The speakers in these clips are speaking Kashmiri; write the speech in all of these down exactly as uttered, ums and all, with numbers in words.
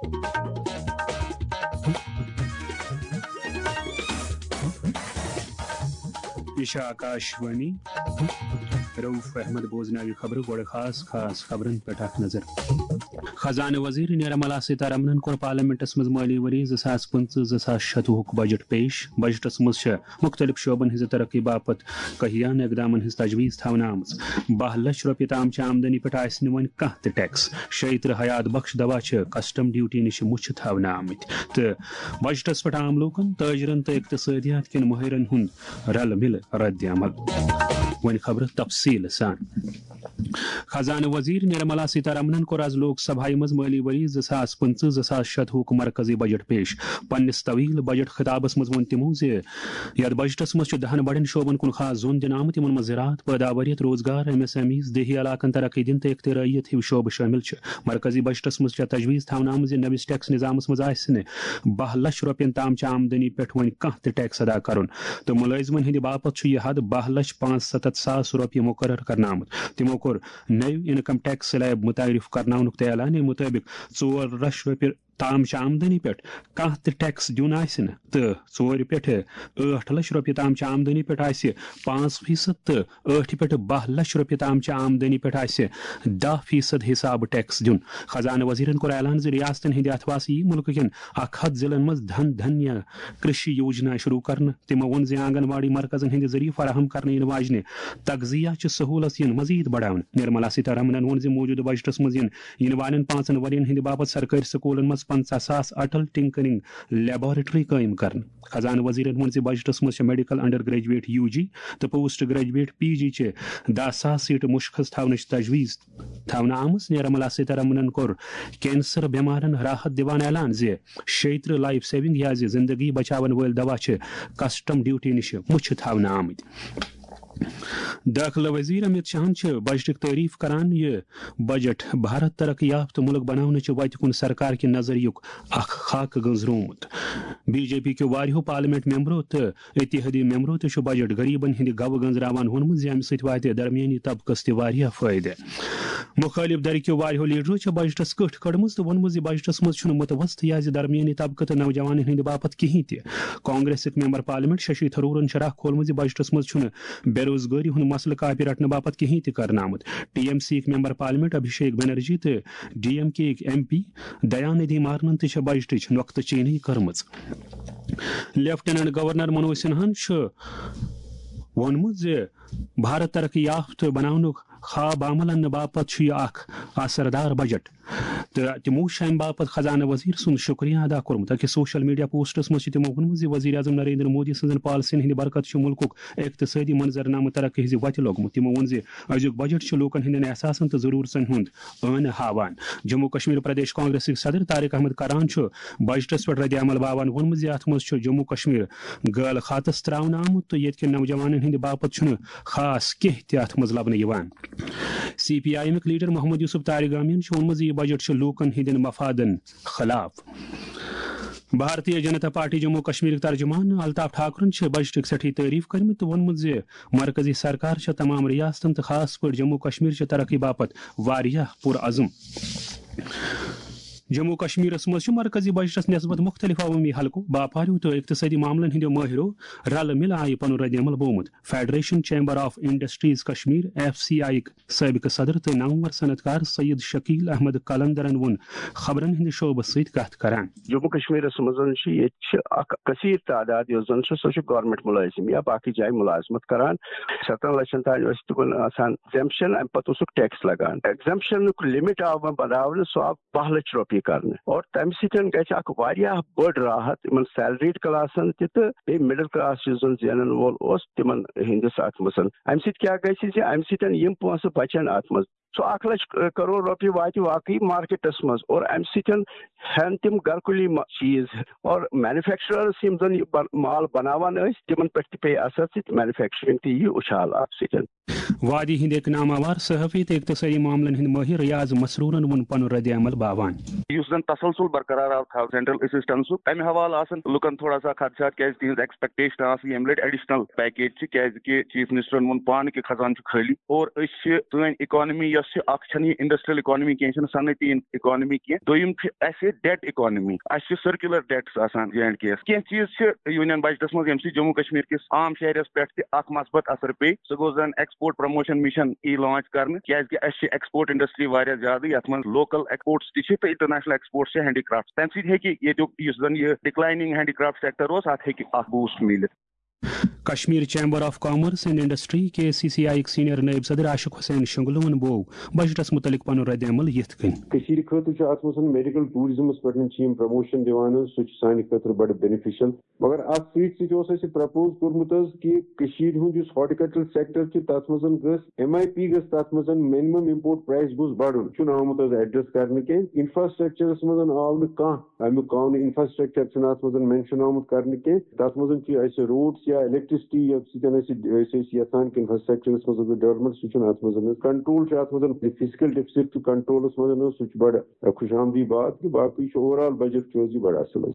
یہِ چھِ آکاش وانی۔ رؤف احمد بوزناوِ خبرٕ، گۄڈٕ خاص خاص خبرن پٮ۪ٹھ اکھ نظر۔ خزانہٕ وزیر نرملا سیتارمنن کوٚر پارلیمنٹس منٛز مٲلی ؤری زٕ ساس پٕنٛژٕہ زٕ ساس شتوُہُک بجٹ پیش۔ بجٹس منٛز چھِ مُختٔلِف شعبن ہٕنٛزِ ترقی باپتھ کہیان اقدامن ہٕنٛز تجویز تھاونہٕ آمٕژ۔ باہ لچھ رۄپیہِ تام چہِ آمدنی پٮ۪ٹھ آسہِ نہٕ وۄنۍ کانٛہہ تہِ ٹیکس۔ شیٚیہِ ترٕہ حیات بخش دوا چھِ کسٹم ڈیوٹی نِش مُچھِ تھاونہٕ آمٕتۍ۔ تہٕ بجٹس پٮ۪ٹھ عام لوٗکن، تٲجرن تہٕ اقتصٲدیات کٮ۪ن مٲہرن ہُنٛد رلہٕ مِلہٕ رد عمل۔ وۄنۍ خبرٕ تفصیٖل سان۔ خزانہٕ وزیر نرملا سیتارمنن کوٚر آز لوک سبھایہ منٛز مٲلی ؤری زٕ ساس پٕنٛژٕہ زٕ ساس شتوُہُک مرکزی بجٹ پیش۔ پننِس طویل بجٹ خطابس منٛز ووٚن تِمو زِ یتھ بجٹس منٛز چھُ دہن بڑٮ۪ن شعبن کُن خاص زوٚن دِنہٕ آمُت، یِمن منٛز زراعت، پٲداوٲریت، روزگار، ایم ایس ایم ایز، دیہی علاقن ترقی دِنہٕ تہٕ اختراعیت ہِوۍ شعبہٕ شٲمِل چھِ۔ مرکزی بجٹس منٛز چھےٚ تجویز تھاونہٕ آمٕژ زِ نٔوِس ٹیکس نظامس منٛز آسہِ نہٕ باہ لچھ رۄپین تام چہِ آمدنی پٮ۪ٹھ وۄنۍ کانٛہہ تہِ ٹیکس ادا کرُن، تہٕ مُلٲزمن ہٕنٛدِ باپتھ چھُ یہِ حد باہ لچھ پانٛژھ ستتھ ساس رۄپیہِ مُقرر کرنہٕ آمُت۔ تِمو کوٚر نٔو انکم ٹیکس سلیب متعارف کرناونُک تہٕ اعلان۔ اَمہِ مُطٲبِق ژور لچھ رۄپیہِ تام چہِ آمدنی پٮ۪ٹھ کانٛہہ تہِ ٹیکس دیُن آسہِ نہٕ تہٕ ژورِ پٮ۪ٹھٕ ٲٹھ لچھ رۄپیہِ تام چہِ آمدنی پٮ۪ٹھ آسہِ پانٛژھ فیصد تہٕ ٲٹھِ پٮ۪ٹھٕ باہ لچھ رۄپیہِ تام چہِ آمدنی پٮ۪ٹھ آسہِ دَہ فیصد حسابہٕ ٹیکس دیُن۔ خزانہٕ وزیرن کوٚر اعلان زِ ریاستن ہٕنٛدِ اتھواسہٕ یِیہِ مُلکہٕ کٮ۪ن اکھ ہتھ ضلعن منٛز دھن دھنیا کرشی یوجنا شروع کرنہٕ۔ تِمو ووٚن زِ آنگن واڑی مرکزن ہٕنٛدِ ذٔریعہٕ فراہم کرنہٕ یِنہٕ واجنہِ تغذیہ چہِ سہوٗلژ یِن مزید بڑاونہٕ۔ نرملا سیتارمنن ووٚن زِ موٗجوٗدٕ بجٹس منٛز یِن یِنہٕ والٮ۪ن پانٛژن ؤرین ہٕنٛدِ باپتھ سرکٲرۍ سکوٗلن منٛز پنٛژاہ ساس اٹل ٹنکرنگ لیبارٹری قٲیِم کرنہٕ۔ خزانہٕ وزیرن ووٚن زِ بجٹس منٛز چھِ میڈیکل انڈر گریجویٹ یو جی تہٕ پوسٹ گریجویٹ پی جی چہِ دَہ ساس سیٹہٕ مُشخص تھاونٕچ تجویز تھاونہٕ آمٕژ۔ نرملا سیتارمنن کوٚر کینسر بٮ۪مارن راحت دِوان اعلان زِ شیٚیہِ ترٕہ لائف سیونگ یا زِ زندگی بچاون وٲلۍ دوا چھِ کسٹم ڈیوٹی نِش مُچھِ تھاونہٕ آمٕتۍ۔ دٲخلہٕ وزیر امت شاہن چھِ بجٹٕچ تعریف کران۔ یہِ بجٹ بھارت ترقی یافتہٕ مُلک بناونٕچہِ وتہِ کُن سرکار کہِ نظریُک اکھ خاکہٕ گٔنزرومُت۔ بی جے پی کیو واریاہو پارلیمنٹ ممبرو تہٕ اتحادی ممبرو تہِ چھُ بجٹ غریبن ہٕنٛدِ گوٕ گنزراوان ووٚنمُت زِ امہِ سۭتۍ واتہِ درمیٲنی طبقس تہِ واریاہ فٲیدٕ۔ مُخٲلِف دھرِ کیو واریاہو لیڈرو چھےٚ بجٹس کٔٹھ کٔڑمٕژ تہٕ ووٚنمُت زِ بجٹس منٛز چھُنہٕ متوسط یا زِ درمیٲنی طبقہٕ تہٕ نوجوانن ہٕنٛدِ باپتھ کِہینۍ تہِ۔ کانگریسٕکۍ ممبر پارلیمنٹ ششی تھرورن چھُ راہ کھولمُت زِ بجٹس منٛز چھُنہٕ بے روزگٲری ہُنٛد مسلہٕ کاپہِ رٹنہٕ باپتھ کِہینۍ تہِ کرنہٕ آمُت۔ ٹی ایم سی یِکۍ ممبر پارلیمنٹ ابھیشیک بنرجی تہٕ ڈی ایم کے یِکۍ ایم پی دیا ندھی مارنن تہِ چھےٚ بجٹٕچ نۄقطہٕ چینی کٔرمٕژ۔ لیفٹیننٹ گورنر منوج سنہاہن چھُ ووٚنمُت زِ بھارت ترقی یافتہٕ بناونُک خواب عمل اننہٕ باپتھ چھُ یہِ اکھ اثردار بجٹ تہٕ تِمو چھُ امہِ باپتھ خزانہٕ وزیر سُنٛد شُکریہ ادا کوٚرمُت۔ أکِس سوشل میڈیا پوسٹس منٛز چھِ تِمو ووٚنمُت زِ وزیر اعظم نریندر مودی سٕنٛزن پالیسین ہٕنٛدِ برکتہٕ چھُ مُلکُک اقتصٲدی منظرنامہٕ ترقی ہٕنٛزِ وتہِ لوٚگمُت۔ تِمو ووٚن زِ أزیُک بجٹ چھُ لوٗکن ہٕنٛدٮ۪ن احساسن تہٕ ضروٗرژن ہُنٛد ٲنہٕ ہاوان۔ جموں کشمیر پردیش کانگریسٕکۍ صدر طارق احمد کران چھُ بجٹس پٮ۪ٹھ رد عمل باوان ووٚنمُت زِ اتھ منٛز چھُ جموں کشمیر غٲل خاتس تراونہٕ آمُت تہٕ ییٚتہِ کٮ۪ن نوجوانن ہٕنٛدِ باپتھ چھُنہٕ خاص کینٛہہ تہِ اتھ منٛز لبنہٕ یِوان۔ سی پی آئی ایمٕکۍ لیڈر محمد یوسف طارق گامین چھُ ووٚنمُت زِ یہِ بجٹ چھُ لوٗکن ہٕنٛدٮ۪ن مفادن خلاف۔ بھارتیہ جنتا پارٹی جموں کشمیرٕکۍ ترجمان الطاف ٹھاکرن چھِ بجٹٕکۍ سٮ۪ٹھٕے تعریف کٔرمٕتۍ تہٕ ووٚنمُت زِ مرکزی سرکار چھےٚ تمام ریاستن تہٕ خاص پٲٹھۍ جموں کشمیر چہِ ترقی باپتھ واریاہ پُرعزم۔ جموں کشمیرس منٛز چھُ مرکزی بجٹس نسبت مُختٔلِف عوٲمی حلقو، باپاریو تہٕ اقتصٲدی معاملن ہٕنٛدیو مٲہرو رلہٕ مِلہٕ آیہِ پنُن رد عمل بومُت۔ Federation chamber of industries Kashmir, F C I یٕکۍ سٲبقہٕ صدر تہٕ نامور صنعت کار سید شکیل احمد قلندرن ووٚن خبرن ہٕنٛدِ شعبس سۭتۍ کتھ کران۔ جموں کشمیرس منٛز چھِ، ییٚتہِ چھِ اکھ کثیر تعداد یۄس زن چھِ، سۄ چھِ گورنمنٹ مُلٲزم یا باقٕے جایہِ مُلازمت کران۔ ستن لچھن تام ٲسۍ تِمن آسان ایگزیمپشن، امہِ پتہٕ اوسُکھ ٹیکس لگان۔ ایگزیمپشنُک لمٹ آو وۄنۍ بڑاونہٕ، سُہ آو باہ لچھ رۄپیہِ کرنہٕ، اور تمہِ سۭتۍ گژھِ اکھ واریاہ بٔڑ راحت یِمن سیلریڈ کلاسن تہِ تہٕ بیٚیہِ مڈل کلاس یُس زن زینن وول اوس تِمن ہٕنٛدِس اتھ منٛز۔ امہِ سۭتۍ کیٛاہ گژھِ زِ امہِ سۭتۍ یِم پونٛسہٕ بچن اتھ منٛز، سُہ اکھ لچھ کرور رۄپیہِ واتہِ واقعی مارکیٹس منٛز، اور امہِ سۭتۍ ہٮ۪ن تِم گرکُلی ما-، چیٖز، اور مینوفیکچررس یِم زن یہِ بن-، مال بناوان ٲسۍ، تِمن پٮ۪ٹھ تہِ پیٚیہِ اثر، تہٕ مینوفیکچرنگ تہِ یِیہِ اُچھال اتھ سۭتۍ۔ وادی ہٕنٛدۍ أکۍ ناماوار صحافی تہٕ اقتصٲدی معاملن ہٕنٛدۍ مٲہِر ریاض مسروٗرن ووٚن پنُن رد عمل باوان۔ یُس زن تسلسل برقرار آو تھاو سینٹرل اسسٹنسُک، تمہِ حوالہٕ آسن لُکن تھوڑا سا خدشات، کیازِ تِہنٛز ایکسپیکٹیشن آسہٕ ییٚمہِ لٹہِ ایڈیشنل پیکیج چھِ، کیازِ کہِ چیف منسٹرن ووٚن پانہٕ کہِ خزانہٕ چھُ خٲلی، اور أسۍ چھِ، سٲنۍ اکانمی یۄس چھِ، اکھ چھنہٕ یہِ انڈسٹریل اکانمی کینٛہہ، یہِ چھنہٕ صنعتی اکانمی کینٛہہ، دوٚیِم چھِ اسہِ ڈیٹ اکانمی، اسہِ چھِ سرکیولر ڈیٹس آسان جے اینڈ کے یس۔ کینٛہہ چیٖز چھِ یونین بجٹس منٛز، ییٚمہِ سۭتۍ جموں کشمیر کِس عام شہرس پٮ۪ٹھ تہِ اکھ مثبت اثر پیٚیہِ۔ سُہ گوٚو زن ایکسپورٹ پروموشن مشن ای لانچ کرنہٕ، کیازِ کہِ اسہِ چھِ ایکسپورٹ انڈسٹری واریاہ زیادٕ، یتھ منٛز لوکل ایکسپورٹس تہِ چھِ تہٕ انٹرنیشنل ایکسپورٹس چھِ ہینڈی کرافٹ۔ تمہِ سۭتۍ ہیٚکہِ ییٚتیُک یُس زن یہِ ڈکلائننگ ہینڈی کرافٹ سیکٹر اوس، اتھ ہیٚکہِ اکھ بوسٹ میٖلِتھ۔ Kashmir chamber of commerce and industry, K C C I یٕکۍ سینئر نٲیِب صدر عاشق حسین شنگلون بوو بجٹس متعلق پنُن رد عمل یِتھ کٔنۍ۔ کٔشیٖرِ خٲطرٕ چھُ اتھ منٛز میڈیکل ٹوٗرزمس پٮ۪ٹھ چھِ یِم پروموشن دِوان حظ، سُہ چھُ سانہِ خٲطرٕ بڑٕ بینیفیشل۔ مگر اتھ سۭتۍ سۭتۍ اوس اسہِ پرپوز کوٚرمُت حظ کہِ کٔشیٖرِ ہُنٛد یُس ہارٹیکلچر سیکٹر چھُ، تتھ منٛز گٔژھ ایم آئی پی گٔژھ تتھ منٛز، منیمم امپورٹ پرائس گوٚژھ بڑُن، چھُنہٕ آمُت حظ ایڈریس کرنہٕ کینٛہہ۔ انفراسٹرکچرس منٛز آو نہٕ کانٛہہ امیُک قونوٗن، انفراسٹرکچر چھُنہٕ اتھ منٛز مینشن آمُت کرنہٕ کینٛہہ۔ تتھ منٛز چھِ اسہِ روڈس یا الیکٹریسٹی، ییٚمہِ سۭتۍ أسۍ أسۍ ٲسۍ یژھان کہِ انفراسٹرکچرس منٛز گژھِ ڈیولپمنٹ، سُہ چھُنہٕ اتھ منٛز۔ کنٹرول چھُ اتھ منٛز، فزیکل ڈیفسٹ چھُ کنٹرولس منٛز، سُہ چھُ بڑٕ خوش آمدی بات کہِ باقٕے چھُ اوور آل بجٹ چھُ حظ یہِ بڑٕ اصل حظ۔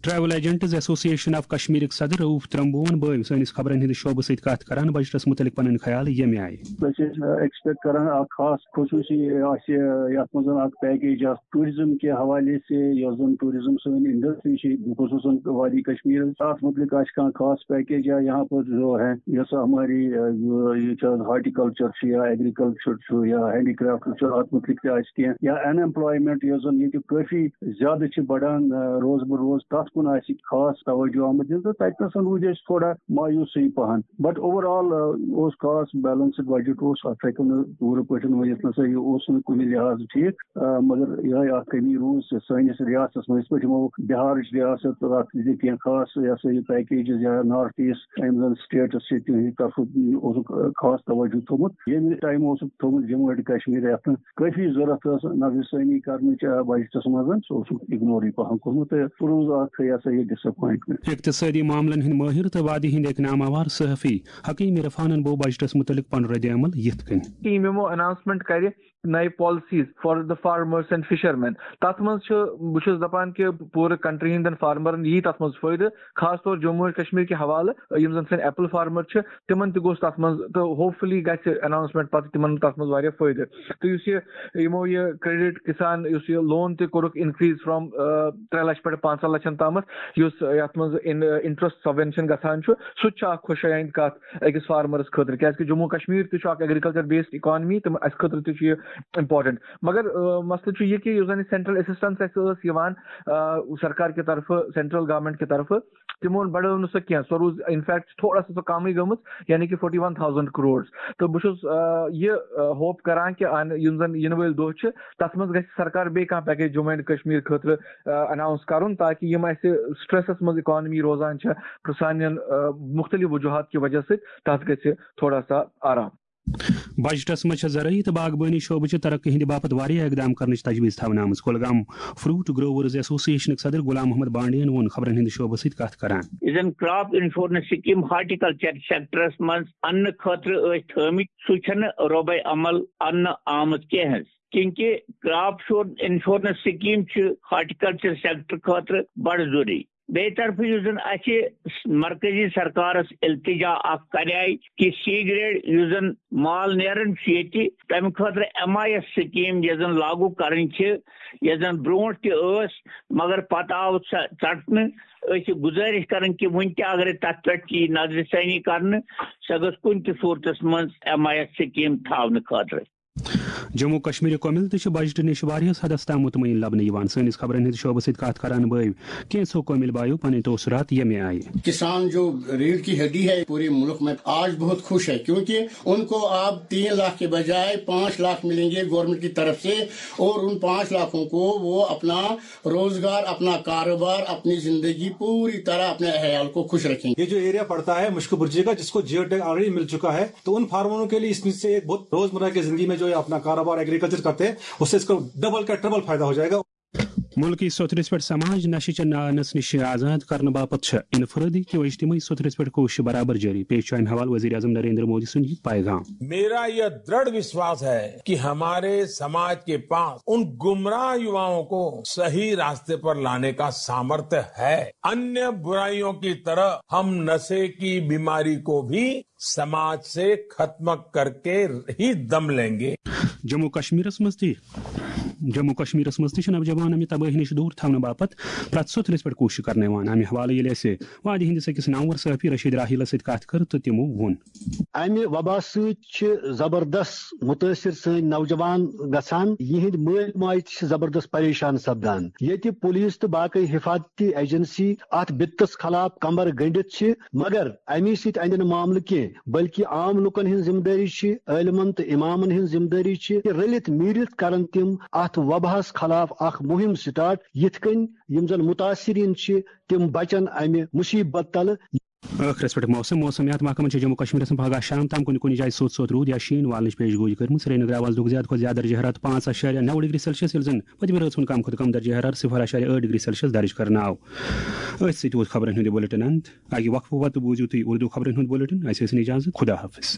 ٹریول ایجنٹس ایسوسی ایشن آف کشمیرٕکۍ صدر رؤف ترمبون بٲوۍ سٲنِس خبرن ہٕنٛدِس شعبس سۭتۍ کتھ کران بجٹس متعلق پنٕنۍ خیال ییٚمہِ آیہِ۔ أسۍ ٲسۍ ایکسپیکٹ کران اکھ خاص خصوٗصی آسہِ یتھ منٛز اکھ پیکیج اکھ ٹوریزم کے حوالے سے، یۄس زن ٹوریزم سٲنۍ انڈسٹری چھِ خصوصاً وادی کشمیر، اتھ متعلق آسہِ کانٛہہ خاص پیکیج یا یہاں پر جو ہے جیسا ہماری یہ ہارٹیکلچر چھُ یا ایگریکلچر چھُ یا ہینڈی کرافٹ چھُ، اتھ متعلق تہِ آسہِ کینٛہہ یا ان ایمپلایمنٹ یۄس زن ییٚتہِ کٲفی زیادٕ چھِ بڑان روز بہ روز، تتھ کُن آسہِ خاص توجہ آمُت دِنہٕ، تہٕ تتہِ نسن روٗدۍ أسۍ تھوڑا مایوسٕے پہن۔ بٹ اوور آل اوس خاص بیلنسڈ بجٹ اوس، اتھ ہیٚکو نہٕ پوٗرٕ پٲٹھۍ ؤنِتھ نسا یہِ اوس نہٕ کُنہِ لحاظہٕ ٹھیٖک، مگر یِہے اکھ کمی روٗز سٲنِس ریاستس منٛز، یِتھ پٲٹھۍ یِمو بِہارٕچ ریاست تہٕ اتھ دِتۍ کینٛہہ خاص یہِ ہسا یہِ پیکیجز یا نارتھ ایسٹ یِم زن سٹیٹس چھِ تِہنٛدِ طرفہٕ اوسُکھ خاص توجہ تھوٚومُت، ییٚمہِ ٹایمہٕ اوسُکھ تھوٚومُت جموں اینڈ کشمیر یتھ نہٕ کٲفی ضروٗرت ٲس نظرِ ثٲنی کرنٕچ بجٹس منٛز، سُہ اوسُکھ اگنورٕے پہن کوٚرمُت تہٕ سُہ روٗز اکھ یہِ ہسا یہِ ڈساپوینٹمنٹ۔ اقتصٲدی معاملن ہٕنٛدۍ مٲہِر تہٕ وادی ہٕنٛدۍ اکھ ناماوار صحافی حکیم عرفانن بوو بجٹس متعلق پنُن رد عمل یِتھ کٔنۍ۔ یِمو اناؤنسمنٹ کرِ نئے policies for the farmers and fishermen۔ تتھ منٛز چھُ، بہٕ چھُس دپان کہِ پوٗرٕ کنٹری ہٕنٛدٮ۪ن فارمرن یی تتھ منٛز فٲیدٕ، خاص طور جموں و کشمیر کہِ حوالہٕ یِم زن سٲنۍ ایپل فارمر چھِ، تِمن تہِ گوٚژھ تتھ منٛز، تہٕ ہوپ فُلی گژھِ اناؤنسمنٹ پتہٕ تِمن تتھ منٛز واریاہ فٲیدٕ۔ تہٕ یُس یہِ یِمو یہِ کریڈٹ کسان یُس یہِ لون تہِ کوٚرُکھ انکریز فرام ترٛےٚ لچھ پٮ۪ٹھ پانٛژن لچھن تامتھ، یُس یتھ منٛز انٹرسٹ سبوینشن گژھان چھُ، سُہ تہِ چھُ اکھ خۄش آیند کتھ أکِس فارمرس خٲطرٕ، کیازِ کہِ جموں کشمیر تہِ چھُ اکھ ایگریکلچر بیسڈ اکانمی، تہٕ اسہِ خٲطرٕ تہِ چھُ یہِ امپورٹنٹ۔ مگر مسلہٕ چھُ یہِ کہِ یُس زن یہِ سینٹرل اسسٹنس اسہِ ٲس یِوان سرکار کہِ طرفہٕ، سینٹرل گورنمنٹ کہِ طرفہٕ، تِمو بڑٲو نہٕ سۄ کینٛہہ، سۄ روٗز انفیکٹ تھوڑا سا سۄ کمٕے گٔمٕژ، یعنی کہِ فورٹی ون تھاوزنڈ کروڑ۔ تہٕ بہٕ چھُس یہِ ہوپ کران کہِ یِم زن یِنہٕ وٲلۍ دۄہ چھِ، تتھ منٛز گژھِ سرکار بیٚیہِ کانٛہہ پیکیج جموں اینڈ کشمیر خٲطرٕ اناؤنس کرُن، تاکہِ یِم اسہِ سٹریسس منٛز اکانمی روزان چھےٚ سانٮ۪ن مختلف وجوہات کہِ وجہ سۭتۍ، تتھ گژھِ تھوڑا سا آرام۔ بجٹس منٛز چھےٚ زرٲعی تہٕ باغبٲنی شعبہٕ چہِ ترقی ہٕنٛدِ باپتھ واریاہ اقدام کرنٕچ تجویز تھاونہٕ آمٕژ۔ کۄلگام فروٹ گروورز ایسوسی ایشنٕکۍ صدر غلام محمد بانڈین ووٚن خبرن ہٕنٛدِ شعبس سۭتۍ کتھ کران۔ یُس زن crop insurance scheme horticulture sectors منٛز اننہٕ خٲطرٕ ٲسۍ تھٲومٕتۍ، سُہ چھنہٕ رۄبے عمل اننہٕ آمٕژ کینٛہہ حظ، کیونکہ کراپ انشورنس سکیٖم چھِ ہارٹیکلچر سیکٹر خٲطرٕ بڑٕ ضروٗری۔ بیٚیہِ طرفہٕ یُس زن اسہِ مرکزی سرکارس التجا اکھ کرے کہِ سی گریڈ یُس زن مال نیران چھُ ییٚتہِ، تمہِ خٲطرٕ ایم آئی ایس سکیٖم یۄس زن لاگو کرٕنۍ چھِ، یۄس زن برونٛٹھ تہِ ٲس، مگر پتہٕ آو سۄ ژٹنہٕ۔ أسۍ چھِ گُزٲرِش کران کہِ وُنہِ تہِ اگرے تتھ پٮ۪ٹھ یی نظرِ ثٲنی کرنہٕ، سۄ گٔژھ کُنہِ تہِ صوٗرتس منٛز ایم آئی ایس سکیٖم تھاونہٕ خٲطرٕ۔ جموں کشمیر کومل تہِ چھِ بجٹہٕ نِش واریاہس حدس تام مطمئن لبنہٕ یِوان۔ سٲنِس خبرن ہٕنٛدِ شعبس سۭتۍ کتھ کران بٲوۍ کینٛژھو کومل بایو پنٕنۍ تٲثرات ییٚمہِ آیہِ۔ کسان جو ریڑھ کی ہڈی ہے پورے ملک میں، آج بہت خوش ہے، کیونکہ ان کو اب تین لاکھ کے بجائے پانچ لاکھ ملیں گے گورنمنٹ کی طرف سے، اور ان پانچ لاکھوں کو وہ اپنا روزگار، اپنا کاروبار، اپنی زندگی پوری طرح اپنے عیال کو خوش رکھیں گے۔ یہ جو ایریا پڑتا ہے مشک برجے کا، جس کو جیو ٹیگ آلریڈی مل چکا ہے، تو ان فارمروں کے لیے اس میں سے ایک بہت روزمرہ کی زندگی میں جو یہ اپنا کاروبار ایگریکلچر کرتے ہیں، اس سے اس کو ڈبل کا ٹربل فائدہ ہو جائے گا۔ ملکی سوٚتھرِس پٮ۪ٹھ سماج نشہٕ چہِ نارنس نِش آزاد کرنہٕ باپتھ چھےٚ انفرٲدی تہٕ اجتمٲعی سوٚتھرِس پٮ۪ٹھ کوٗشش برابر جٲری۔ پیش چھُ امہِ حوالہٕ وزیر اعظم نریندر مودی سُنٛد یہِ پیغام۔ मेरा यह दृढ़ विश्वास है कि हमारे समाज के पास उन गुमराह युवाओं को सही रास्ते पर लाने का सामर्थ्य है। अन्य बुराइयों की तरह हम नशे की बीमारी को भी समाज से खत्म करके ही दम लेंगे। جموں کشمیرس منٛز تہِ جموں کشمیرس منٛز تہِ چھِ نوجوان امہِ تبٲہی نِش دوٗر تھاونہٕ باپتھ پرٛٮ۪تھ سوٚتھرِس پٮ۪ٹھ کوٗشش کرنہٕ یِوان۔ امہِ حوالہٕ ییٚلہِ اَسہِ وادی ہِندِ سٔکِس نامور صحافی رشید راحیلس سۭتۍ کتھ کٔر تہٕ تِمو ووٚن۔ امہِ وبا سۭتۍ چھِ زبردست متٲثر سٲنۍ نوجوان گژھان، یِہنٛدۍ مٲلۍ ماجہِ تہِ چھِ زبردست پریشان سپدان۔ ییٚتہِ پولیس تہٕ باقٕے حفاظتی ایجنسی اتھ بِتس خلاف کمر گٔنڈِتھ چھِ، مگر امی سۭتۍ اندِ نہٕ معاملہٕ کینٛہہ، بلکہِ عام لوٗکن ہٕنٛز ذمہٕ دٲری چھِ، عٲلمن تہٕ امامن ہٕنٛز ذمہٕ دٲری چھِ کہِ رٔلِتھ میٖرِتھ کرن تِم اتھ وباہس خلاف اکھ مُہم سٹارٹ، یِتھ کٔنۍ یِم زن متاثرین چھِ تِم بچن امہِ مصیبت تلہٕ۔ ٲخرس پٮ۪ٹھ موسم۔ موسمیات محکمن چھِ جموں کشمیرس منٛز پگہہ شام تام کُنہِ کُنہِ جایہِ سوٚت سوٚت روٗد یا شیٖن والنٕچ پیش گویی کٔرمٕژ۔ سرینگرٕ آواز لوٚگ زیادٕ کھۄتہٕ زیادٕ درجہ حرارت پانٛژھ اعشاریہ نو ڈگری سیلسیس، ییٚلہِ زن پٔتمہِ رٲژ ہُنٛد کم کھۄتہٕ کم درجہ حرارت صفر اعشاریہ ٲٹھ ڈگری سیلسیس درج کرنہٕ آو۔ أتھۍ سۭتۍ ووت خبرن ہُنٛد یہِ بُلٹن انت۔ اَکہِ وقفہٕ پتہٕ بوٗزِو تُہۍ اردو خبرن ہُنٛد بُلٹن۔ اَسہِ ٲسِن اجازت۔ خدا حافظ۔